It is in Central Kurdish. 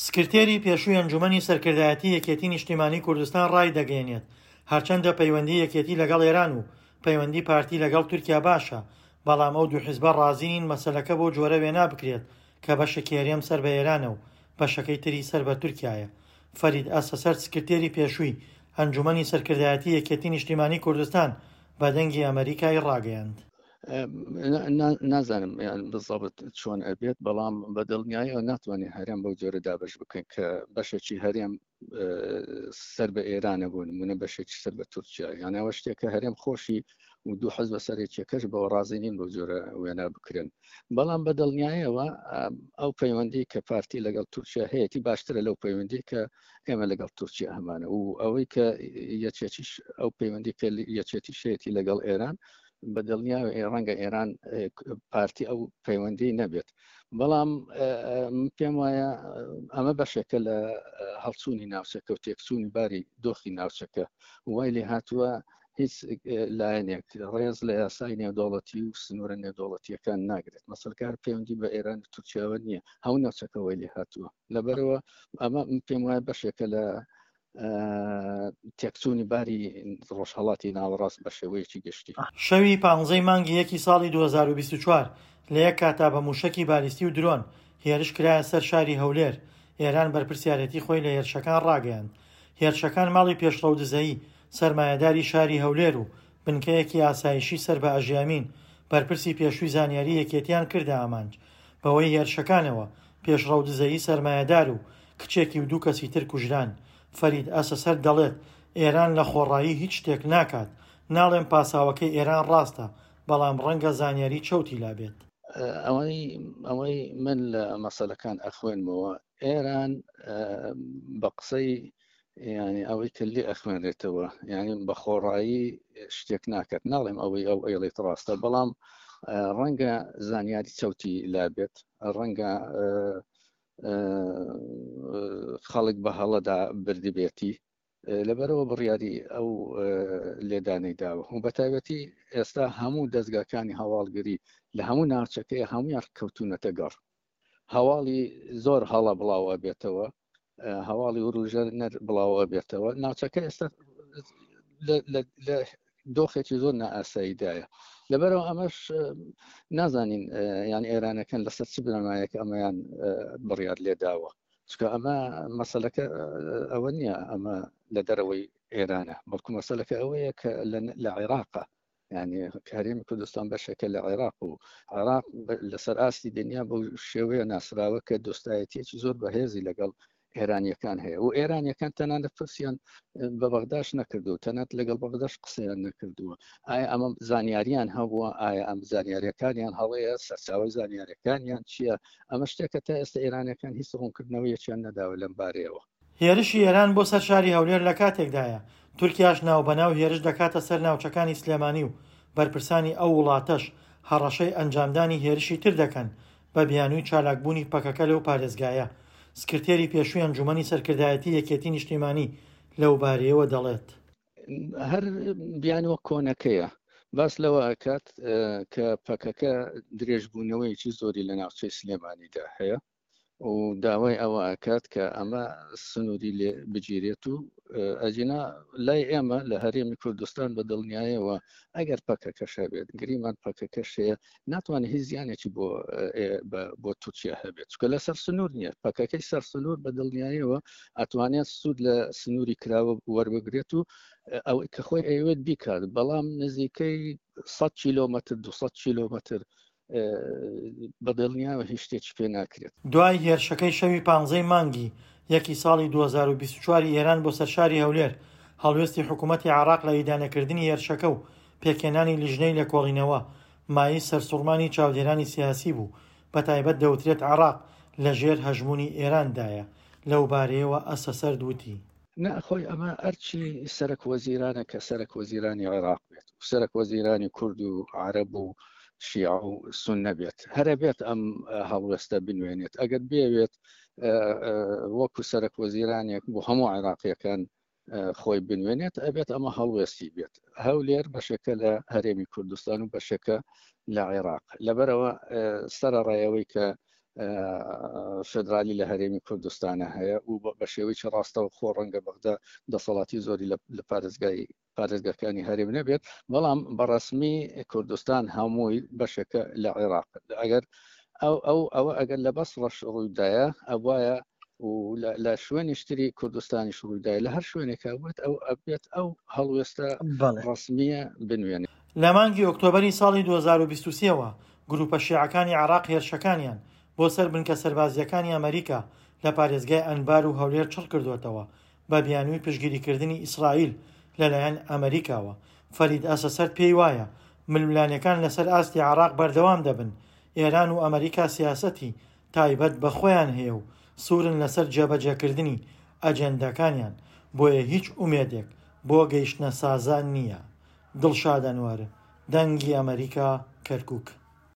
سکرتێری پێشووی ئەنجوومەنی سەرکردایەتی یەکێتی نیشتیمانی کوردستان ڕایدەگەیەنێت، هەرچەندە پەیوەندی یەکێتی لەگەڵ ئێران و پەیوەندی پارتی لەگەڵ تورکیا باشە، بەڵام ئەو دوو حزبە ڕازی نین مەسەلەکە بەو جۆرە وێنا بکرێت کە بەشێکی هەرێم سەر بە ئێرانە و بەشەکەی تری سەر بە تورکیایە. فەرید ئەسەسەرد سکرتێری پێشووی ئەنجوومەنی سەرکردایەتی یەکێتی نیشتیمانی کوردستان بە دەنگی ئەمەریکای ڕاگەیاند. نازانم یان بزەبت چۆن ئەبێت بەڵام بە دڵنیایەوە ناتوانێت هەرێم بەو جۆرە دابش بکەن کە بەشێکی هەرێم سەر بە ئێرانە بۆ نمونە بەشێکی سەر بە تورکیا یان ئەوە شتێکە هەرێم خۆشی و دوو حەز بە سەرێکیەکەش بەوە ڕازی نین بەو جۆرە وێنا بکرێن بەڵام بە دڵنیایەوە ئەو پەیوەندی کە پارتی لەگەڵ تورکیا هەیەی باشترە لەو پەیوەندی کە ئێمە لەگەڵ تورکیا هەمانە و ئەوەی کە یەکێتیش ئەو پەیوەندی کە یەکێتی شەیەتی لەگەڵ ئێران بە دڵنیاوە ڕەنگە ئێران پارتی ئەو پەیوەندی نەبێت بەڵام پێم وایە ئەمە بەشێکە لە هەڵچوونی ناوچەکە و تێکچوونی باری دۆخی ناوچەکە وای لێ هاتووە هیچ لایەنێک ڕێز لە یاسای نێودەوڵەتی و سنوورە نێودەوڵەتیەکان ناگرێت مەسەلکار پەیوەندی بە ئێران و تورکیاوە نییە هەموو ناوچەکە وای لێ هاتووە لەبەرەوە ئەمە پێم وایە بەشێکە لە تێکچوونی باری ڕۆژهەڵاتی ناوەڕاست بە شێوەیەکی گشتی. شەوی پانزەی مانگی یەکی ساڵی 2024 لە یەک کاتا بە مووشەکی بالیستی و درۆن هێرش کرایە سەر شاری هەولێر، ئێران بەرپرسیارێتی خۆی لە هێرشەکان ڕاگەیاند. هێرشەکان ماڵی پێشڕەو دزەیی، سەرمایەداری شاری هەولێر و بنکەیەکی ئاسایشی سەر بە ئەژی ئەمین، بەرپرسی پێشووی زانیاری یەکێتیان کردە ئامانج. بەهۆی هێرشەکانەوە پێشڕەو دزەیی سەرمایەدار و کچێکی و دوو کەسی تر کوژران. فەرید ئەسەسەرد دەڵێت، ئێران لە خۆڕایی هیچ شتێک ناکات. ناڵێم پاساوەکەی ئێران ڕاستە، بەڵام ڕەنگە زانیاری چەوتی لابێت. ئەوەی ئەوەی من لە مەسەلەکان ئەخوێنمەوە ئێران بە قسەی یعنی ئەوەی کە لێ ئەخوێنرێتەوە یعنی بە خۆڕایی شتێک ناکات ناڵێم ئەوەی ئەو ئەیڵێت ڕاستە بەڵام ڕەنگە زانیاری چەوتی لابێت ڕەنگە خەڵک بە هەڵەدا بردبێتی لەبەرەوە بڕیاری ئەو لێدانەی داوە و بە تایبەتی ئێستا هەموو دەستگاکانی هەواڵگری لە هەموو ناوچەکەی هەمویان کەوتونەتە گەڕ هەواڵی زۆر هەڵە بڵاو ئەبێتەوە هەواڵی وروژەر نەر بڵاو ئەبێتەوە ناوچەکە ئێستا لە دۆخێکی زۆر نائاساییدایە لەبەرەوە ئەمەش نازانین یان ئێرانەکان لەسەر چ بنەمایەک ئەمەیان بڕیار لێداوە چکە ئەمە مەسلەکە ئەوە نییە ئەمە لە دەرەوەی ئێرانە بەڵکو مەسلەکە ئەوەیە کە لە عێراقە یعنی هەرێمی کوردستان بەشێکە لە عێراق و عێراق لەسەر ئاستی دنیا بەو شێوەیە ناسراوە کە دۆستایەتیەکی زۆر بەهێزی لەگەڵ ئێرانیەکان هەیە و ئێرانیەکان تەنانەت پرسیان بە بەغداش نەکردو تەنات لەگەڵ بەغداش قسەیان نەکردووە ئایا ئەمە زانیاریان هەبووە ئایا ئەم زانیاریەکانیان هەڵەیە سەرچاوی زانیاریەکانیان چییە ئەمە شتێکە تا ئێستا ئێرانەکان هیچ ڕوونکردنەوەیەکیان نەداوە لەم بارەیەوە. هێرشی ئێران بۆ سەر شاری هەولێر لە کاتێکدایە، تورکیاش ناوبەناو هێرش دەکاتە سەر ناوچەکانی سلێمانی و بەرپرسانی ئەو وڵاتەش هەڕەشەی ئەنجامدانی هێرشی تر دەکەن بە بیانووی چالاکبوونی پەکەکە لەو پارێزگایە. سکرتێری پێشووی ئەنجوومەنی سەرکردایەتی یەکێتی نیشتیمانی لەوبارەیەوە دەڵێت. هەر بیانووە کۆنەکەیە باس لەوە ئەکات کە پەکەکە درێژبوونەوەیەکی زۆری لە ناوچەی سلێمانیدا هەیە و داوای ئەوە ئەکات کە ئەمە سنووری لێ بگیرێت و ئەجینا لای ئێمە لە هەرێمی کوردستان بە دڵنیایەوە ئەگەر پەکەکەش هەبێت گریمان پەکەکەش هەیە ناتوانێت هیچ زیانێکی بۆ بۆ تورکیا هەبێت چکە لەسەر سنوور نییە پەکەکەی سەر سنوور بە دڵنیایەوە ئەتوانێت سوود لە سنووری کراوە وەربگرێت و ئەوەی کە خۆی ئەیەوێت بیکات بەڵام نزیکەی 100 کیلۆمەتر 200 کیلۆمەتر بە دڵنیاوە هیچ شتێکی پێ ناکرێت. دوای هێرشەکەی شەوی پانزەی مانگی یەکی ساڵی 2024 ی ئێران بۆ سەر شاری هەولێر، هەڵوێستی حکوومەتی عێراق لە ئیدانەکردنی هێرشەکە و پێکهێنانی لیژنەی لێکۆڵینەوە، مایەی سەرسوڕمانی چاودێرانی سیاسی بوو، بەتایبەت دەوترێت عێراق لەژێر هەژموونی ئێراندایە، لەوبارەیەوە ئەسەسەرد وتی. نا خۆی ئەمە ئەرکی سەرەک وەزیرانە کە سەرەک وەزیرانی عێراق بێت و سەرەک وەزیرانی کورد و عەرەب و شیعە و سوننە بێت هەرە بێت ئەم هەڵوێستە بنوێنێت ئەگەر بێوێت وەکو سەرەک وەزیرانێک بۆ هەموو عێراقیەکان خۆی بنوێنێت ئەبێت ئەمە هەڵوێستی بێت هەولێر بەشێکە لە هەرێمی کوردستان و بەشێکە لە عێراق لەبەرەوە سەرەڕایەوەی کە فدرالی لە هەرێمی کوردستانە هەیە و بە شێوەیەکی ڕاستەوە خۆ ڕەنگە بەغدا دەسەڵاتی زۆری لە پارێزگای پارێزگاکانی هەرێم نەبێت، بەڵام بەڕسمی کوردستان هەمووی بەشێکە لە عێراق. ئەگەر ئەو ئەو ئەوە ئەگەر لە بەس ڕەش ڕوویدایە ئەوایە و لە شوێنیشتری کوردستانیش ڕوویدای لە هەر شوێنێکە وت ئەو ئەبێت ئەو هەڵوێستە ڕسمیە بنوێنێ. لە مانگی ئۆکتۆبەری ساڵی 2023 ەوە گروپە شیعەکانی عێراق هێرشەکانیان بۆ سەر بنکە سەربازییەکانی ئەمەریکا لە پارێزگای ئەنبار و هەولێر چڕکردووەتەوە بە بیانووی پشتگیریکردنی ئیسرائیل لەلایەن ئەمەریکاوە. فەرید ئەسەسەرد پێی وایە ململانێکان لەسەر ئاستی عێراق بەردەوام دەبن، ئێران و ئەمەریکا سیاسەتی تایبەت بە خۆیان هەیە و سوورن لەسەر جێبەجێکردنی ئەجێنداکانیان، بۆیە هیچ ئومێدێک بۆ گەیشتنە سازان نییە. دڵشاد ئەنوەر، دەنگی ئەمەریکا، کەرکوک.